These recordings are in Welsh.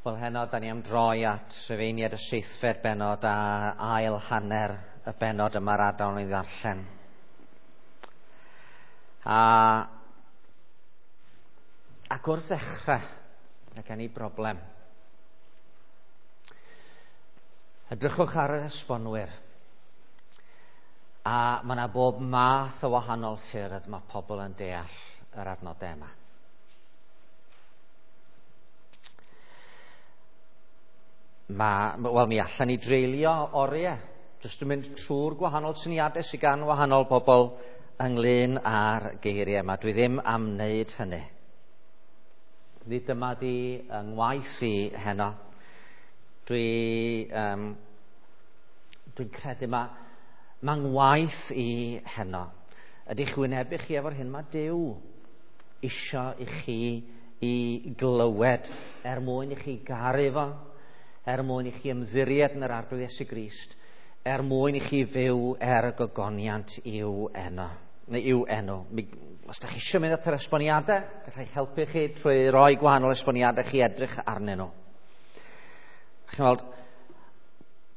Wel, heno, da ni am droi at Rhufeiniaid y seithfed bennod a ail hanner y bennod yma'r adael ni ddarllen. A, ac wrth ddechrau, mae gen i broblem. Edrychwch ar yr esbonwyr. A mae yna bob math o wahanol ffyrdd mae pobl yn deall yr adnodau yma. Mae, wel, mi allan ni dreulio oriau jyst yn mynd trwy'r gwahanol syniadau sydd gan wahanol bobl ynglyn â'r geiriau yma. Dwi ddim am wneud hynny. Nid dyma di yng ngwaith i heno. Dwi, um, dwi'n credu mae, mae ngwaith i heno. Ydych wynebu chi efo'r hyn mae Duw isio i chi i glywed er mwyn i chi garu fo, er mwyn i chi ymddiried yn yr Arglwydd Iesu Grist, er mwyn i chi fyw er y gogoniant i'w enw. Neu i'w enw. Mi, os da chi eisiau mynd at yr esboniadau, gallai helpu chi trwy roi gwahanol esboniadau chi edrych arnyn nhw. Chi'n weld,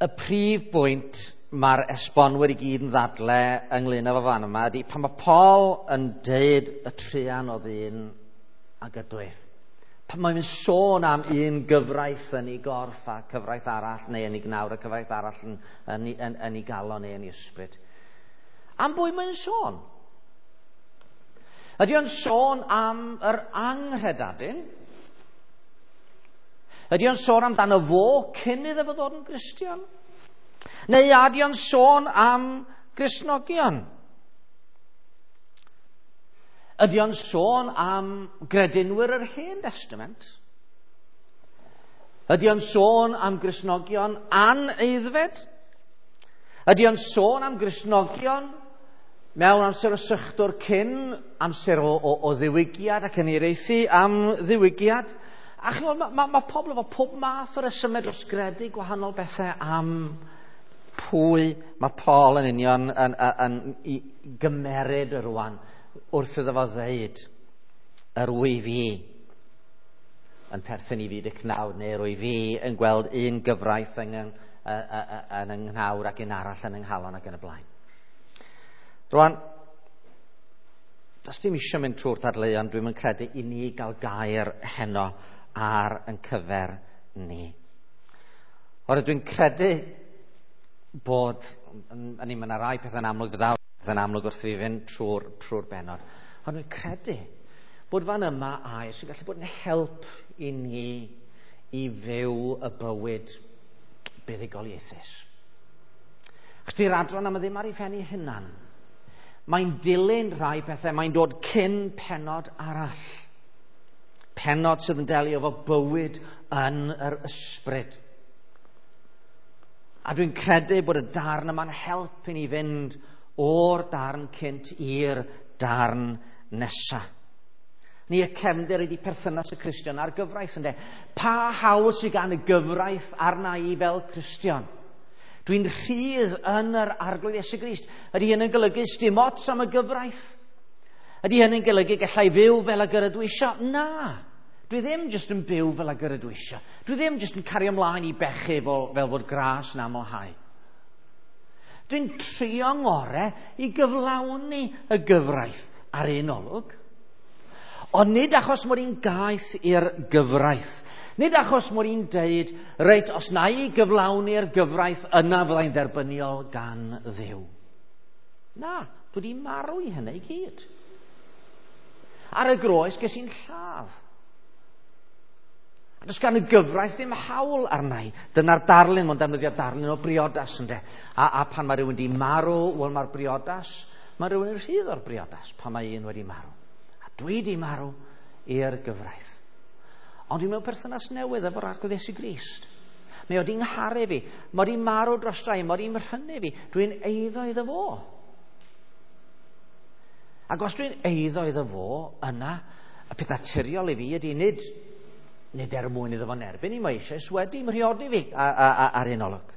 y prif bwynt mae'r esbonwyr i gyd yn ddadle ynglyn â fo fan yma ydy pan mae Paul yn deud y truan o ddyn ag ydwyf. Pan mae'n sôn am un gyfraith yn ei gorff a cyfraith arall, neu yn ei gnawr a cyfraith arall yn, yn, yn, yn ei galon neu yn ei ysbryd. Am bwy mae'n sôn? Ydy o'n sôn am yr anghredadun? Ydy o'n sôn amdano fo cyn iddo fo ddod yn Gristion? Neu ydy o'n sôn am Gristnogion? Ydy o'n sôn am gredinwyr yr Hen Testament? Ydy o'n sôn am Gristnogion aneiddfed? Ydy o'n sôn am Gristnogion mewn amser o sychdwr cyn amser o, o, o ddiwygiad ac yn eireithi am ddiwygiad? A chymod, mae ma, ma pobl efo pob math o resymau dros gredu gwahanol bethau am pwy mae Paul yn union yn, yn, yn, yn, i gymeryd rwan wrth iddo fo ddeud, yr wyf i yn perthyn i fyd y cnawd, neu yr wyf i yn gweld un gyfraith yng, yng, yn yng nghnawd ac un arall yn yng nghalon ac yn y blaen. Rwan, does dim eisiau mynd trwy'r dadleuon, dwi'n mynd credu i ni gael gair heno ar yn cyfer ni. Oherwydd dwi'n credu bod, yn i, mae yna rai pethau'n amlwg fydda yn amlwg wrth i fi fynd trwy'r trwy bennod. Ond dwi'n credu bod fan yma air sy'n gallu bod yn help i ni i fyw y bywyd buddugoliaethus. Achos di'r adran yma ddim ar ei phen ei hunan. Mae'n dilyn rhai pethau, mae'n dod cyn pennod arall. Pennod sydd yn delio efo bywyd yn yr ysbryd. A dwi'n credu bod y darn yma'n help i ni fynd o'r darn cynt i'r darn nesa. Ni y cefndir ydi perthynas y Cristion a'r gyfraith ynde. Pa hawl sydd gan y gyfraith arna i fel Cristion? Dwi'n rhydd yn yr Arglwydd Iesu Grist. Ydy hyn yn golygu sdim ots am y gyfraith? Ydy hyn yn golygu gallai fyw fel ag yr ydw isio? Na. Dwi ddim jyst yn byw fel ag yr ydw isio. Dwi ddim jyst yn cario ymlaen i bechu fel, fel fod gras yn amlhau. Dwi'n trio ngore i gyflawni y gyfraith ar un olwg. Ond nid achos mod i'n gaeth i'r gyfraith. Nid achos mod i'n deud, reit, os na i gyflawni'r gyfraith, yna fyddai'n dderbyniol gan Dduw. Na, dwi wedi marw i hynny i gyd. Ar y groes ges i'n lladd. A does gan y gyfraith ddim hawl arna i. Dyna'r darlun, mae'n defnyddio darlun o briodas ynde. A, a pan mae rhywun wedi marw, wel mae'r briodas, mae rhywun yn rhydd o'r briodas pan mae un wedi marw. A dwi wedi marw i'r gyfraith. Ond dwi mewn perthynas newydd efo'r Arglwydd Iesu Grist. Mae o di ngharu fi, mae o di marw dros drai, mae o di mrhynu fi. Dwi'n eiddo iddo fo. Ac os dwi'n eiddo iddo fo, yna, y peth naturiol i fi ydy nid nid er mwyn iddo fo'n erbyn i, mae eisoes wedi mhriodi fi ar un olwg.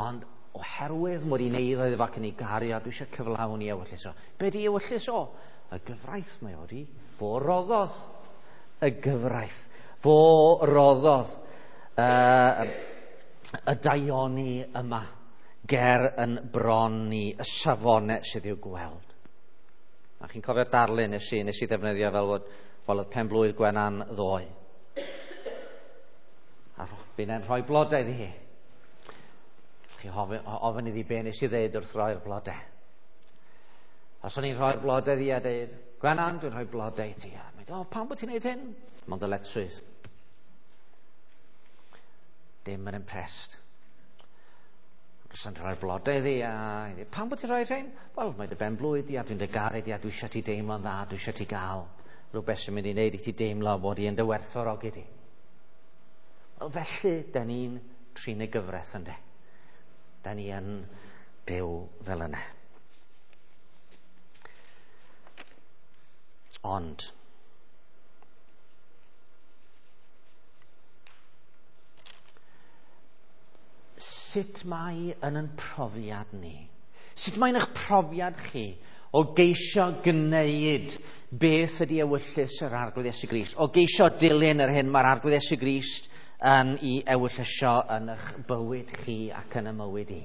Ond oherwydd mod i'n eiddo iddo fo ac yn ei gario, dwi eisiau cyflawni ewyllys o. Be di ewyllys o? Y gyfraith mae o di. Fo roddodd y gyfraith. Fo roddodd y daioni yma ger yn bron ni, y safonau sydd i'w gweld. A chi'n cofio'r darlun nes i ddefnyddio fel oedd pen blwydd Gwenan ddoe. A fi'n rhoi blodau iddi hi. Chi ofyn iddi be nes i ddeud wrth roi'r blodau. Os o'n i'n rhoi'r blodau iddi a deud, Gwenan, dwi'n rhoi blodau i ti. A mae'n dweud, pam bod ti'n neud hyn? Mae'n ddyletswydd. Dim yn impressed. Os o'n rhoi'r blodau iddi, a pam bod ti'n rhoi rhain? Wel, mae dy ben blwydd di, a dwi'n dy garu di, a dwi eisiau ti deimlo'n dda, dwi eisiau ti gael rhywbeth sy'n mynd i wneud i ti deimlo bod i yn dy werthfawrogi di. Wel, felly, da ni'n trin y gyfraith, ynde? Da ni yn byw fel yna. Ond, sut mae yn ein profiad ni? Sut mae'n eich profiad chi o geisio gwneud beth ydy ewyllys yr Arglwydd Iesu Grist? O geisio dilyn yr hyn mae'r Arglwydd Iesu Grist yn ei ewyllysio yn eich bywyd chi ac yn y mywyd i?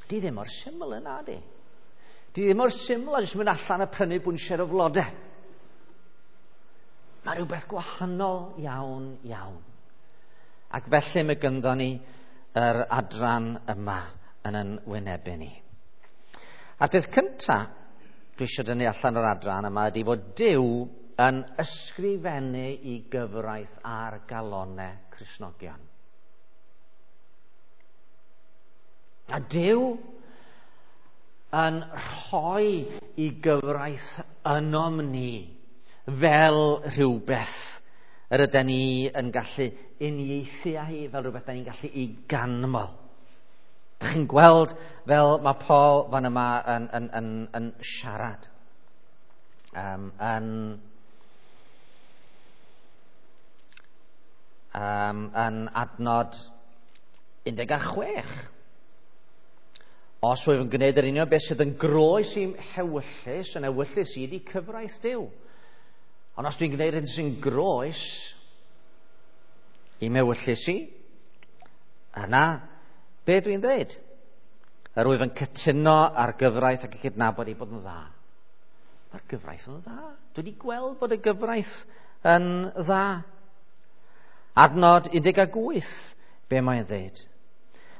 Di ddim mor syml yna, di. Di ddim mor syml a jyst mynd allan a prynu bwnsier o flodau. Mae rhywbeth gwahanol iawn, iawn. Ac felly mae gynddo ni yr adran yma yn yn wynebu ni. A'r peth cyntaf dwi eisiau dynnu allan o'r adran yma ydy fod Duw yn ysgrifennu i gyfraith ar galonau Cristnogion. A Duw yn rhoi i gyfraith ynom ni fel rhywbeth yr ydyn ni yn gallu uniaethu â hi, fel rhywbeth da ni'n gallu i ganmol. Dych chi'n gweld fel mae Paul fan yma yn siarad. Yn adnod 16. Os wyf yn gwneud yr union beth sydd yn groes i'm hewyllys, yn ewyllys i ydi cyfraith Duw. Ond os dwi'n gwneud hyn sy'n groes i'm ewyllys i, yna, be dwi'n dweud? Yr wyf yn cytuno ar gyfraith ac yn cydnabod ei bod yn dda. Mae'r gyfraith yn dda. Dwi wedi gweld bod y gyfraith yn dda. Adnod 18, be mae'n dweud?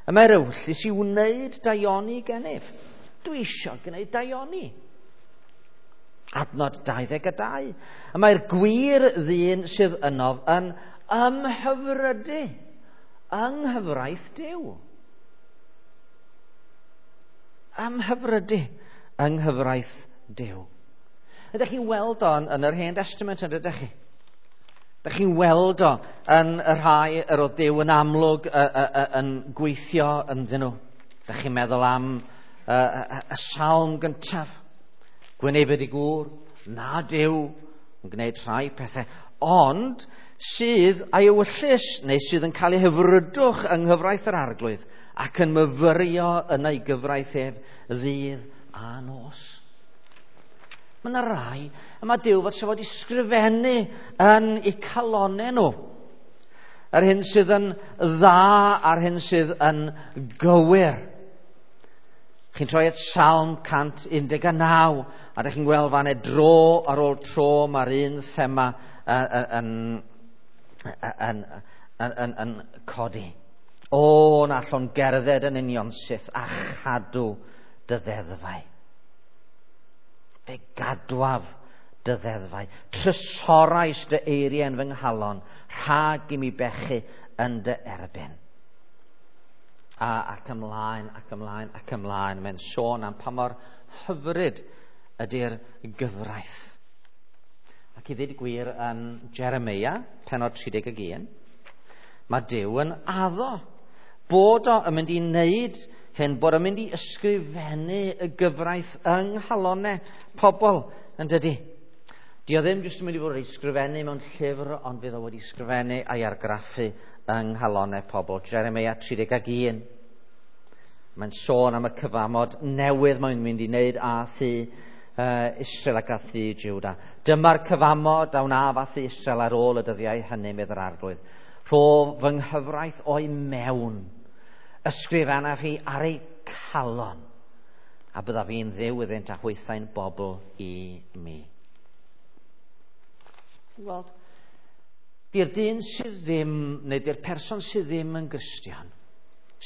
Y mae'r ewyllys i wneud daioni gennyf. Dwi eisiau gwneud daioni. Adnod 22. Y mae'r gwir ddyn sydd ynof yn ymhyfrydu yng nghyfraith Duw. Ymhyfrydu yng nghyfraith Duw. Ydych chi'n weld o yn yr Hen Testament, ydych chi? Ydych chi'n weld o yn y rhai yr oedd Duw yn amlwg yn gweithio ynddyn nhw. Ydych chi'n meddwl am y salm gyntaf. Gwynebed i gŵr, na Duw yn gwneud rhai pethau, ond sydd a'i ewyllys, neu sydd yn cael ei hyfrydwch yng nghyfraith yr Arglwydd ac yn myfyrio yn ei gyfraith ef ddydd a nos. Mae yna rai, a mae Duw fod sef wedi sgrifennu yn eu calonau nhw. Yr hyn sydd yn dda a'r hyn sydd yn gywir. Chi'n troi at Salm 119, a ydych chi'n gweld fan e dro ar ôl tro mae'r un thema yn codi. O, na allwn gerdded yn unionsyth a chadw dy ddeddfau. Fe gadwaf dy ddeddfau. Trysorais dy eiriau yn fy nghalon, rhag i mi bechu yn dy erbyn. A ac ymlaen, ac ymlaen, ac ymlaen. Mae'n sôn am pa mor hyfryd ydy'r gyfraith. Ac i ddweud gwir yn Jeremia, pennod 31, mae Duw yn addo bod o yn mynd i wneud hyn, bod o'n mynd i ysgrifennu y gyfraith yng nghalonau pobl, yn dydy. Di o ddim jyst yn mynd i fod wedi ysgrifennu mewn llyfr, ond fydd o wedi ysgrifennu a'i argraffu yng nghalonau pobl. Jeremia 31. Mae'n sôn am y cyfamod newydd mae'n mynd i wneud â thŷ Israel ac â thŷ Juda. Dyma'r cyfamod a wnaf â thŷ Israel ar ôl y dyddiau hynny, medd yr Arglwydd. Rho fy nghyfraith o'i mewn, ysgrifennaf hi ar eu calon, a byddaf fi'n Dduw iddynt a hwythau'n bobl i mi. Ti'n gweld? Di'r dyn sydd ddim, neu di'r person sydd ddim yn Gristion,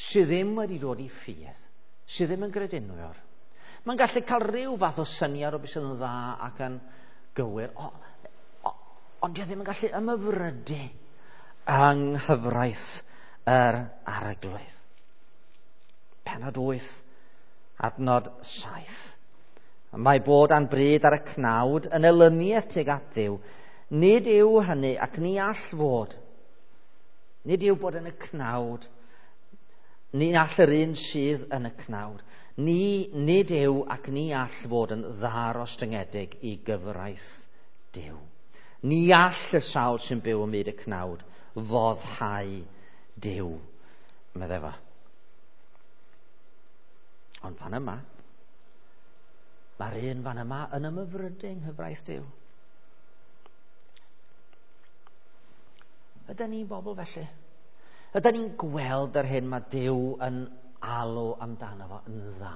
sydd ddim wedi dod i ffydd, sydd ddim yn gredinwr, mae'n gallu cael rhyw fath o syniad o beth sydd yn dda ac yn gywir, ond dio ddim yn gallu ymhyfrydu yng nghyfraith yr Arglwydd. Pennod 8, adnod 7. Mae bod a'n bryd ar y cnawd yn elyniaeth tuag at Dduw. Nid yw hynny ac ni all fod. Nid yw bod yn y cnawd. Ni all yr un sydd yn y cnawd. Nid yw ac ni all fod yn ddarostyngedig i gyfraith Duw. Ni all y sawl sy'n byw ym myd y cnawd foddhau Duw, meddai fo. Ond fan yma, mae'r un fan yma yn ymhyfrydu yng nghyfraith Duw. Ydyn ni'n bobl felly? Ydyn ni'n gweld yr hyn mae Duw yn alw amdano fo yn dda?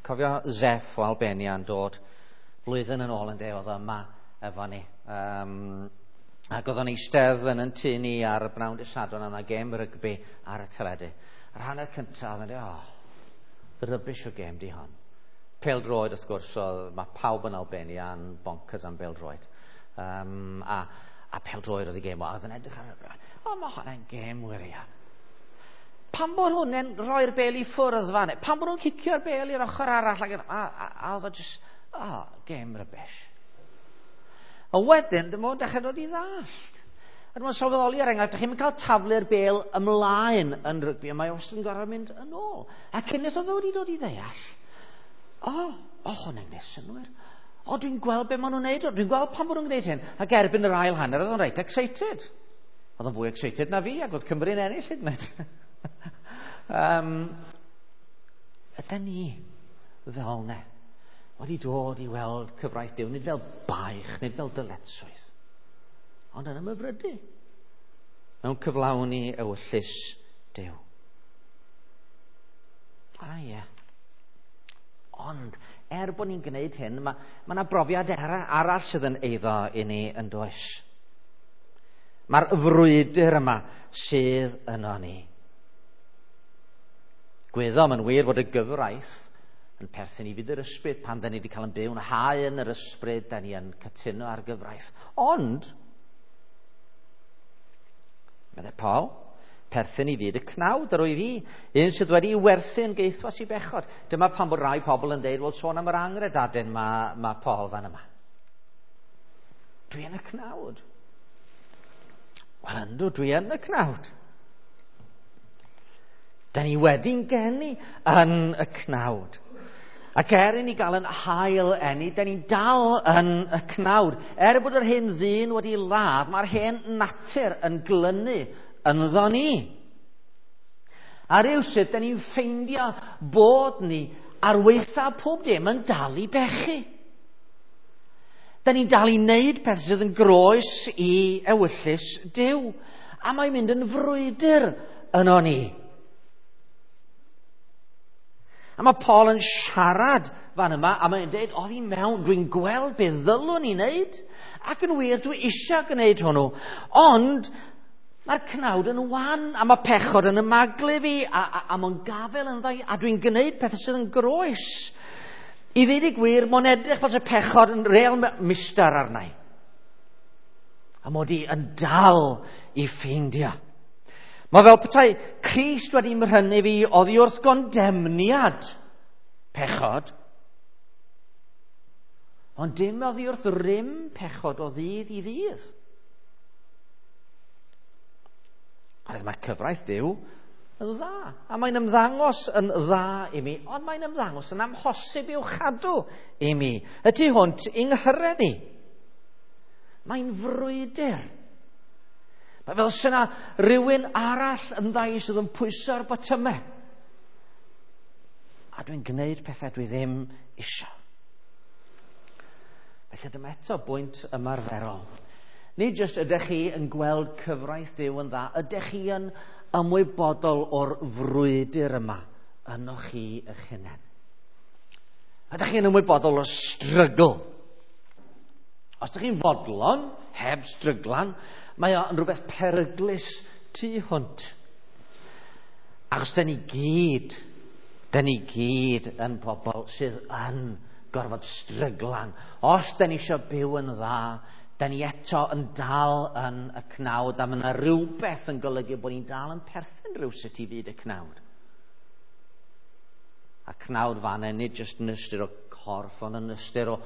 Cofio Zeff o Albania yn dod flwyddyn yn ôl yn de, oedd yma efo ni. Ac oedd o'n eistedd yn yn tŷ ni ar y bnawn dydd Sadwrn, yna gêm rygbi ar y teledu. Yr hanner cyntaf, oedd o'n dweud, oh, rubbish o gêm di hon. Pêl-droed, wrth gwrs, oedd, mae pawb yn Albania yn bonkers am bêl-droed. A pêl-droed oedd y gêm o, a oedd yn edrych ar y... O, mae hwnna'n gêm wirion. Pam bod hwnna'n rhoi'r bêl i ffwrdd fan? Pam bod nhw'n cicio'r bêl i'r ochr arall? Ac, a oedd o just, oh, gêm rubbish. A wedyn, dyma o'n dechrau dod i ddallt. A dyma'n sylweddoli ar enghraifft, dych chi'n cael taflu'r bêl ymlaen yn rygbi, a mae wastad yn gorfod mynd yn ôl. A cyn oedd o wedi dod i ddeall, o, hwnna'n gwneud synnwyr. O, dwi'n gweld be maen nhw'n neud, o, dwi'n gweld pam bod nhw'n gwneud hyn. Ac erbyn yr ail hanner, oedd o'n reit excited. Oedd o'n fwy excited na fi, ac oedd Cymru'n ennill hyd yn oed. Ydyn ni fel ne wedi dod i weld cyfraith Duw, nid fel baich, nid fel dyletswydd, ond yn ymhyfrydu mewn cyflawni ewyllys Duw. A ie. Ond, er bod ni'n gwneud hyn, mae yna brofiad arall sydd yn eiddo i ni yn does. Mae'r frwydr yma sydd yno ni. Gwyddom yn wir fod y gyfraith yn perthyn i fyd yr ysbryd pan da ni wedi cael yn byw yn hau yn yr ysbryd, da ni yn cytuno ar gyfraith. Ond, meddai Paul, perthyn i fyd y cnawd yr wyf i, un sydd wedi werthu yn geithwas i bechod. Dyma pam bod rai pobl yn deud, wel, sôn am yr angredadyn mae Paul fan yma. Dwi yn y cnawd. Wel, yndw, dwi yn y cnawd. Da ni wedi'n geni yn y cnawd. Ac er i ni gael yn hael eni, da ni'n dal yn y cnawd. Er bod yr hen ddyn wedi ladd, mae'r hen natur yn glynu ynddo ni. A rywsut, da ni'n ffeindio bod ni ar weitha pob dim yn dal i bechu. Da ni'n dal i wneud peth sydd yn groes i ewyllys Duw. A mae'n mynd yn frwydr yno ni. A mae Paul yn siarad fan yma, a mae'n dweud, oedd hi mewn, dwi'n gweld beth ddylwn i wneud, ac yn wir, dwi eisiau gwneud hwnnw. Ond mae'r cnawd yn wan, a mae pechod yn ymaglu fi, a mae'n gafel yn ddau, a dwi'n gwneud pethau sydd yn groes. I ddweud y gwir, mae'n edrych fel y pechod yn real mistar arna i. A mod i yn dal i ffeindio. Mae fel petai Crist wedi mhrynu fi oddi wrth gondemniad pechod, ond dim oddi wrth rym pechod o ddydd i ddydd. A mae cyfraith Duw yn dda, a mae'n ymddangos yn dda i mi, ond mae'n ymddangos yn amhosib i'w chadw i mi, y tu hwnt i nghyrraedd i. Mae'n frwydr. Mae fel syna rhywun arall yn ddau sydd yn pwyso'r botymau. A dwi'n gwneud pethau dwi ddim isio. Felly dyma eto bwynt ymarferol. Nid jyst ydych chi yn gweld cyfraith Duw yn dda, ydych chi yn ymwybodol o'r frwydr yma ynoch chi eich hunain. Ydych chi'n ymwybodol o strygl? Os ydych chi'n fodlon, heb stryglan, mae o'n rhywbeth peryglus tu hwnt. Achos da ni gyd yn pobl sydd yn gorfod stryglan. Os da ni eisiau byw yn dda, da ni eto yn dal yn y cnawd, a mae yna rhywbeth yn golygu bod ni'n dal yn perthyn rhywsut i fyd y cnawd. A cnawd fanna, nid jyst yn ystyr o corff, ond yn ystyr o...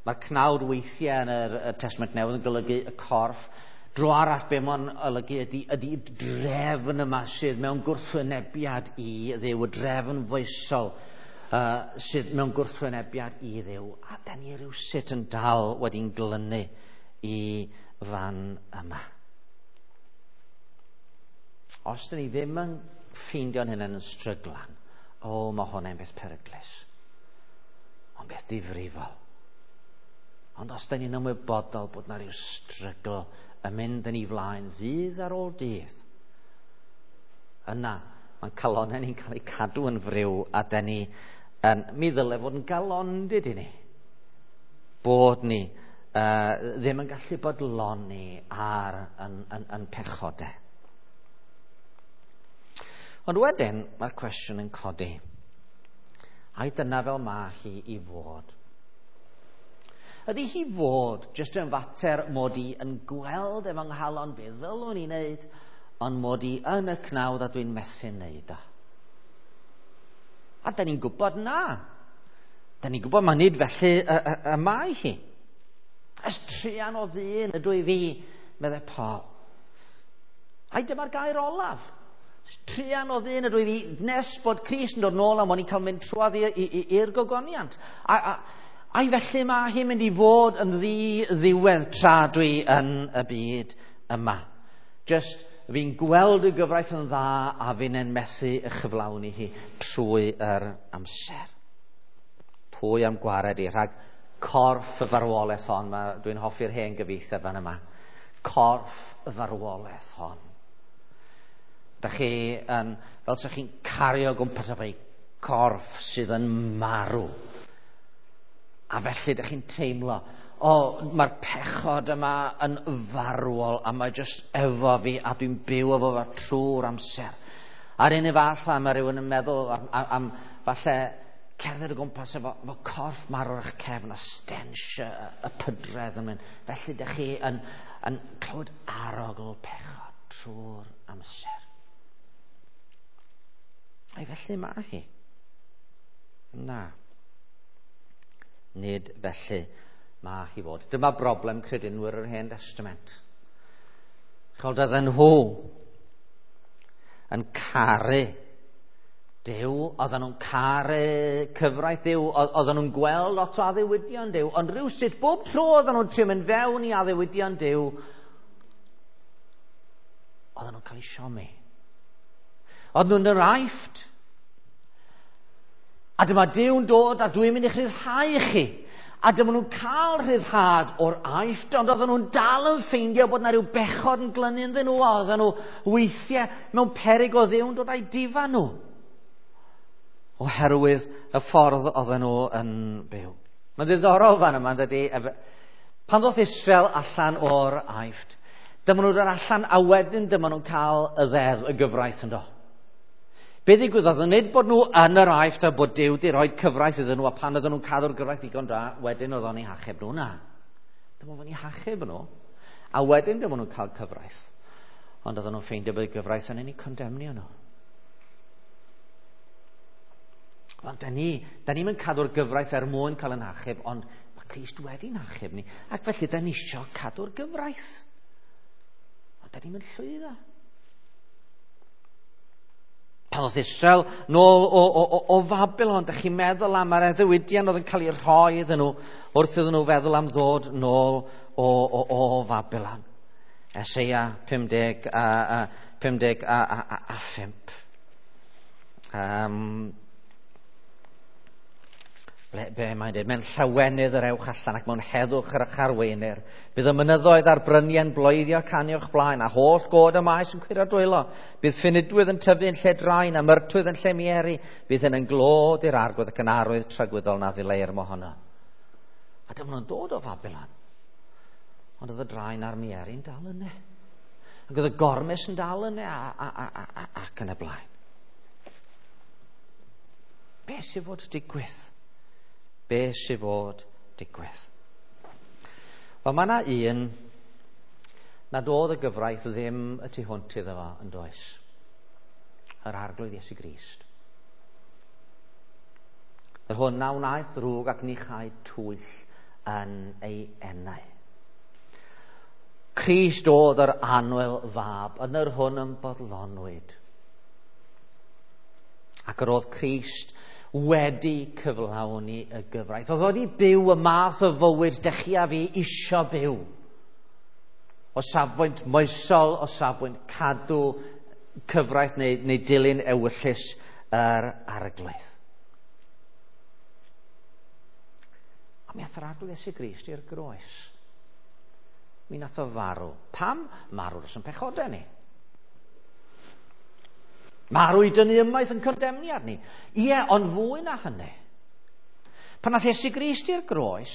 Mae'r cnawd weithiau yn y Testament Newydd yn golygu y corff. Dro arall be mae'n olygu ydy drefn yma sydd mewn gwrthwynebiad i Dduw, y drefn foesol sydd mewn gwrthwynebiad i Dduw. A da ni rhywsut yn dal wedi'n glynu i fan yma. Os da ni ddim yn ffeindio'n hunain yn stryglan, o, mae hwnna'n beth peryglus. Ond beth difrifol. Ond os da ni'n ymwybodol bod na rhyw strygl yn mynd yn ei flaen ddydd ar ôl dydd, yna mae'n calonnau ni'n cael eu cadw yn friw, a da ni yn, mi ddyle fod yn galondid i ni. Bod ni ddim yn gallu bodloni ar yn pechodau. Ond wedyn mae'r cwestiwn yn codi. Ai dyna fel mae hi i fod? Ydy hi fod jyst yn fater mod i yn gweld efo nghalon be ddylwn i wneud, ond mod i yn y cnawd a dwi'n methu wneud o? A da ni'n gwybod na. Da ni'n gwybod mae nid felly y mae hi. Ys truan o ddyn ydw i fi, meddai Paul. Ai dyma'r gair olaf. Truan o ddyn ydw i fi nes bod Crist yn dod nôl a mod i'n cael mynd trwodd i'r gogoniant. Ai felly mae hi'n mynd i fod yn ddi-ddiwedd tra dwi yn y byd yma. Just fi'n gweld y gyfraith yn dda a fi'n methu y chyflawni hi trwy yr amser. Pwy am gwared i rhag corff y farwolaeth hon? Dwi'n hoffi'r hen gyfieithiad fan yma. Corff y farwolaeth hon. Da chi yn, fel sa chi'n cario gwmpas efo corff sydd yn marw. A felly da chi'n teimlo, o, mae'r pechod yma yn farwol a mae jyst efo fi a dwi'n byw efo fo trwy'r amser. A'r un fath mae rhywun yn meddwl am falle cerdded o gwmpas efo corff marw ar eich cefn a stench y pydredd yn mynd. Felly da chi yn clywed arogl pechod trwy'r amser. Ai felly mae hi? Na. Nid felly mae hi fod. Dyma broblem credinwyr yr Hen Testament. Chod oedden nhw yn caru Duw, oedden nhw'n caru cyfraith Duw, oedden nhw'n gweld lot o addewidion Duw, ond rhywsut bob tro oedden nhw'n trio mynd fewn i addewidion Duw, oedden nhw'n cael eu siomi. Oedden nhw'n yr Aifft. A dyma Duw'n dod a dwi'n mynd i'ch rhyddhau chi. A dyma nhw'n cael rhyddhad o'r Aifft, ond oedden nhw'n dal yn ffeindio bod yna rhyw bechod yn glynu ynddyn nhw, a oedden nhw weithiau mewn peryg o Dduw'n dod a'i difa nhw. Oherwydd y ffordd oedden nhw yn byw. Mae'n ddiddorol fan yma, dydy. Pan ddoth Israel allan o'r Aifft, dyma nhw'n dod allan a wedyn dyma nhw'n cael y ddeddf, y gyfraith ynddo. Be ddigwyddodd, nid bod nhw yn yr Aifft a bod Duw wedi rhoi cyfraith iddyn nhw, a pan oedden nhw'n cadw'r gyfraith digon da, wedyn oedd o'n eu hachub nhw. Na. Dyma fo'n eu hachub nhw. A wedyn dyma nhw'n cael cyfraith. Ond oedden nhw'n ffeindio bod y gyfraith yn eu condemnio nhw. Wel, da ni'n cadw'r gyfraith er mwyn cael yn hachub, ond mae Crist wedi'n hachub ni. Ac felly, da ni eisiau cadw'r gyfraith. Ond da ni'n mynd llwyddo. Pan oedd Israel nôl o Fabylon, da chi'n meddwl am yr addewidion oedd yn cael ei rhoi iddyn nhw wrth iddyn nhw feddwl am ddod nôl o Fabylon. Eseia 55. Ble, be mae'n dweud? Mewn llawenydd yr ewch allan ac mewn heddwch yr arweinir. Bydd y mynyddoedd a'r bryniau'n bloeddio canu o'ch blaen, a holl god y maes yn cwyro dwylo. Bydd ffinidwydd yn tyfu yn lle draen a myrtwydd yn lle mieri. Bydd hyn yn glod i'r arglwydd ac yn arwydd tragwyddol na ddileir mohono. A dyma nhw'n dod o Fabilon. Ond oedd y draen a'r mieri'n dal yna. Ac oedd y gormes yn dal yna ac yn y blaen. Be sydd fod digwydd? Be sydd fod digwydd? Wel, mae yna un nad oedd y gyfraith ddim y tu hwnt iddo fo yn does. Yr Arglwydd Iesu Grist. Yr hwn na wnaeth ddrwg ac ni chaed twyll yn ei enau. Crist oedd yr annwyl fab, yn yr hwn yn bodlonwyd. Ac yr oedd Crist wedi cyflawni y gyfraith. Oedd wedi byw y math o fywyd dych chi a fi isio byw. O safbwynt moesol, o safbwynt cadw cyfraith neu dilyn ewyllys yr Arglwydd. A mi ath yr Arglwydd Iesu Grist i'r groes. Mi nath o farw. Pam? Marw dros yn pechodau ni. Marw i dynnu ymaith yn condemniad ni. Ie, ond fwy na hynny. Pan nath Iesu Grist i'r groes,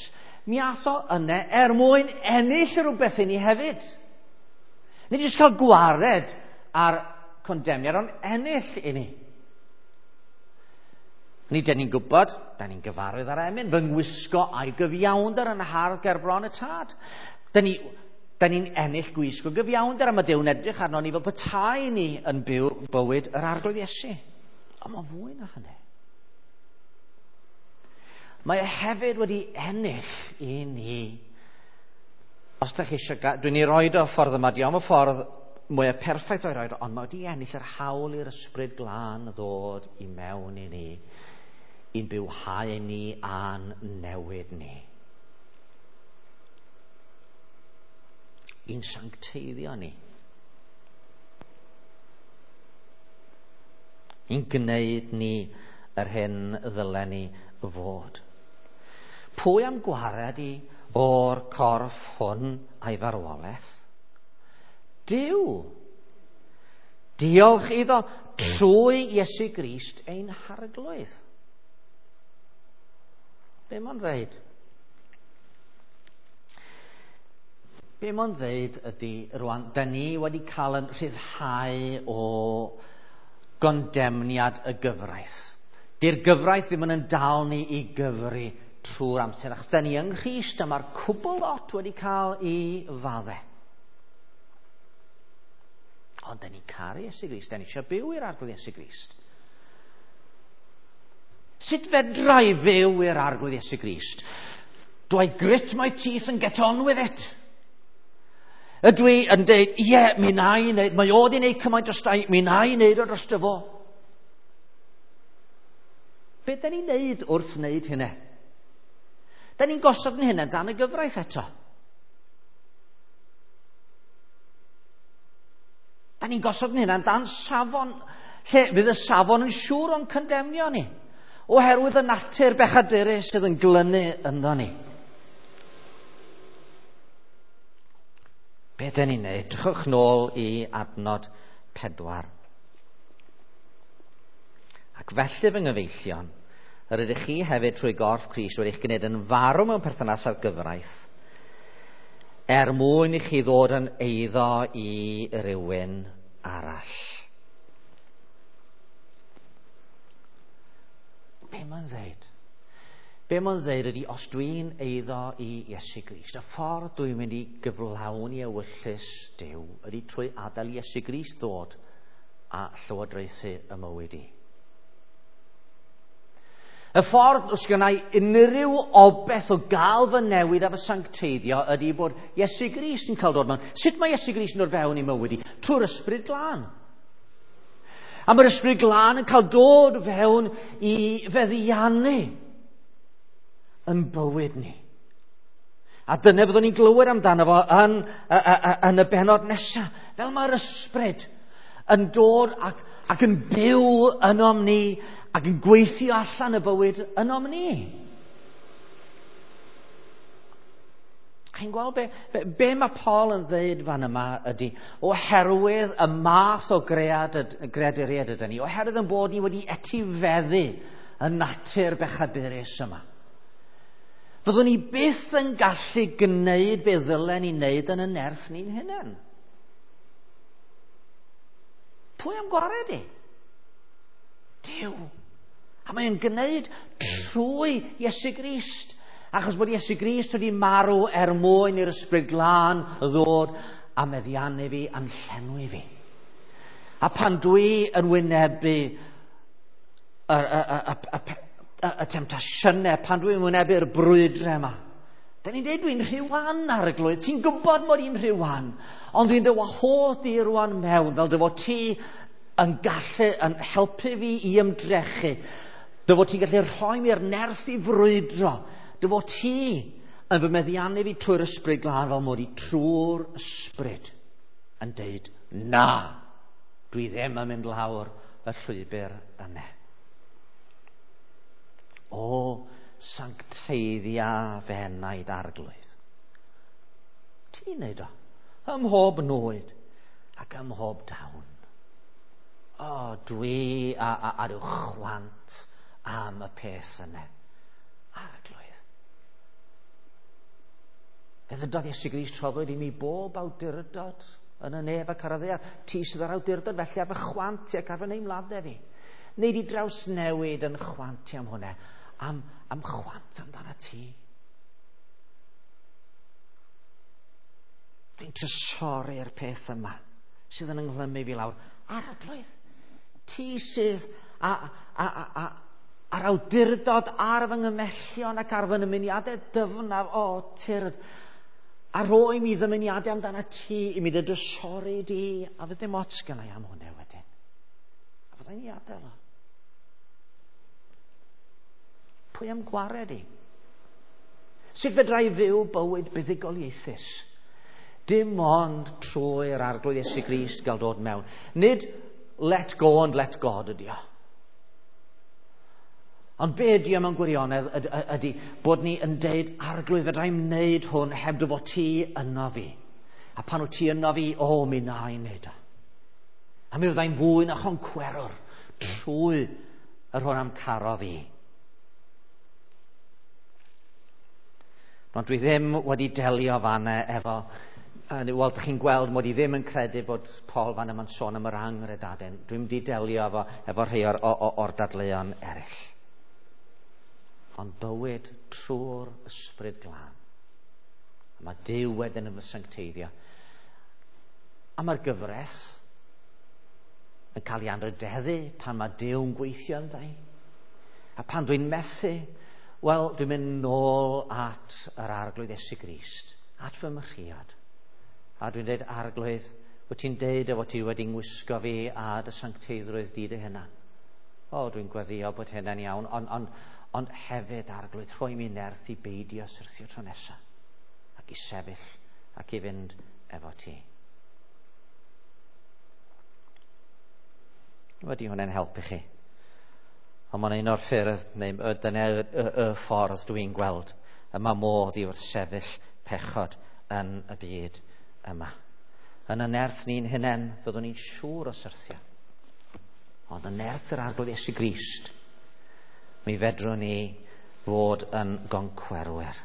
mi ath o yna er mwyn ennill rhywbeth i ni hefyd. Nid jyst cael gwared ar condemniad, ond ennill i ni. Ni, dyn ni'n gwybod, da ni'n gyfarwydd ar emyn, fy ngwisgo a'i gyfiawnder yn hardd ger bron y tad. Da ni'n ennill gwisgo gyfiawnder, a mae Duw'n edrych arno ni fel petai ni yn byw bywyd yr Arglwydd Iesu. Ond mae'n fwy na hynny. Mae e hefyd wedi ennill i ni. Os da chi eisiau, dwi'n ei roed o ffordd yma, diolch am y ffordd mwyaf perffaith o'i roed, ond mae wedi ennill yr hawl i'r Ysbryd Glân ddod i mewn i ni, i'n bywhau ni a'n newid ni. I'n sancteiddio ni. I'n gwneud ni yr hyn ddylen ni fod. Pwy am gwared i o'r corff hwn a'i farwolaeth? Duw. Diolch iddo trwy Iesu Grist ein Harglwydd. Be mae'n dweud? Be mae'n dweud ydy, rwan, da ni wedi cael yn rhyddhau o gondemniad y gyfraith. Di'r gyfraith ddim yn dal ni i gyfri trwy'r amser. Achos da ni yng Nghrist a mae'r cwbl lot wedi cael ei fadde. Ond da ni'n caru Iesu Grist, da ni eisiau byw i'r Arglwydd Iesu Grist. Sut fedra i fyw i'r Arglwydd Iesu Grist? Do I grit my teeth and get on with it? Ydw i yn dweud, ie, mi na i wneud, mae o di wneud cymaint o stai, mi na i wneud o dros fo. Be da ni'n wneud wrth wneud hynny? Da ni'n gosod yn hynny dan y gyfraith eto. Da ni'n gosod yn hynny dan safon, lle fydd y safon yn siŵr o'n condemnio ni, oherwydd y natur bechadurus sydd yn glynu ynddo ni. Be dyn ni'n neud? Drychwch nôl i adnod 4. Ac felly fy nghyfeillion, yr ydych chi hefyd trwy gorff Crist wedi'ch gwneud yn farw mewn perthynas â'r gyfraith, er mwyn i chi ddod yn eiddo i rywun arall. Be mae'n dweud? Be mae'n dweud ydy, os dwi'n eiddo i Iesu Grist, y ffordd dwi'n mynd i gyflawni ewyllys Duw ydy trwy adael Iesu Grist ddod a llywodraethu y mywyd i. Y ffordd os gynna i unrhyw obeth o gael fy newid a fy sancteiddio ydy bod Iesu Grist yn cael dod mewn. Sut mae Iesu Grist yn dod fewn i mywyd i? Trwy'r Ysbryd Glân. A mae'r Ysbryd Glân yn cael dod fewn i feddiannu yn bywyd ni. A dyna fyddwn ni'n glywed amdano fo yn y bennod nesaf. Fel mae'r Ysbryd yn dod ac yn byw ynom ni ac yn gweithio allan y bywyd ynom ni. Chi'n gweld be mae Paul yn dweud fan yma ydy, oherwydd y math o greaduriaid ydyn ni, oherwydd yn bod ni wedi etifeddu y natur bechadurus yma, fyddwn ni byth yn gallu gwneud be ddylen ni wneud yn y nerth ni'n hunain. Pwy am gwared i? Duw. A mae'n gwneud trwy Iesu Grist. Achos bod Iesu Grist wedi marw er mwyn i'r Ysbryd Glân ddod a meddiannu fi, a'n llenwi fi. A pan dwi yn wynebu y temtasiynau, pan dwi'n wynebu'r brwydrau yma, da ni'n dweud dwi'n rhy wan, Arglwydd, ti'n gwybod mod i'n rhy wan, ond dwi'n dy wahodd di rwan mewn, fel dy fod ti yn gallu, yn helpu fi i ymdrechu, dy fod ti'n gallu rhoi mi'r nerth i frwydro, dy fod ti yn fy meddiannu fi trwy'r Ysbryd Glân fel mod i trwy'r Ysbryd yn deud, na, dwi ddim yn mynd lawr y llwybr yna. O, sancteiddia fy enaid, Arglwydd. Ti'n neud o, ym mhob nwyd ac ym mhob dawn. O, dwi a ryw chwant am y peth yna, Arglwydd. Fe ddydodd Iesu Grist, rhoddwyd i mi bob awdurdod yn y nef ac ar y ddaear. Ti sydd â'r awdurdod felly ar fy chwant i ac ar fy neimladau fi. Neu di drawsnewid yn chwant i am hwnna, am chwant amdano ti. Dwi'n trysori'r peth yma sydd yn ynghlymmu fi lawr. Arglwydd, ti sydd a'r awdurdod ar fy nghymellion ac ar fy nymuniadau dyfnaf, o, tyrd, a roi mi ddymuniadau amdano ti, i mi dy drysori di, a fydd dim ots gynna i am hwnna wedyn. A fyddai'n i adael o. Pwy am gwared i? Sut fedra i fyw bywyd buddugoliaethus? Dim ond trwy'r Arglwydd Iesu Grist gael dod mewn. Nid let go and let God ydi o. Ond be ydi o mewn gwirionedd ydi bod ni yn deud, Arglwydd, fedra i'm wneud hwn heb dy fod ti yno fi. A pan wyt ti yno fi, o, mi na i wneud o. A mi fyddai'n fwy na choncwerwr trwy yr hwn am carodd i. Ond dwi ddim wedi delio fanna efo... Wel, dych chi'n gweld mod i ddim yn credu bod Paul fan yma'n sôn am yr anghredadun. Dwi'n mynd i delio efo rhai o'r dadleuon eraill. Ond bywyd trwy'r Ysbryd Glân. A mae Duw wedyn yn fy sancteiddio. A mae'r gyfres yn cael ei anrhydeddu pan mae Duw'n gweithio ynddo. A pan dwi'n methu, wel, dwi'n mynd nôl at yr Arglwydd Iesu Grist, at fy mhriod. A dwi'n dweud, Arglwydd, wyt ti'n deud o fod ti wedi ngwisgo fi a dy sancteiddrwydd di dy hunan. O, dwi'n gweddio bod hynna'n iawn, ond hefyd, Arglwydd, rhoi mi nerth i beidio syrthio tro nesaf, ac i sefyll ac i fynd efo ti. Wedi hwnna'n helpu chi. Ond mae'n un o'r ffyrdd, neu dyna y ffordd dwi'n gweld, y mae modd i wrthsefyll pechod yn y byd yma. Yn y nerth ni'n hunain, fyddwn ni'n siŵr o syrthio. Ond yn nerth yr Arglwydd Iesu Grist, mi fedrwn ni fod yn goncwerwyr.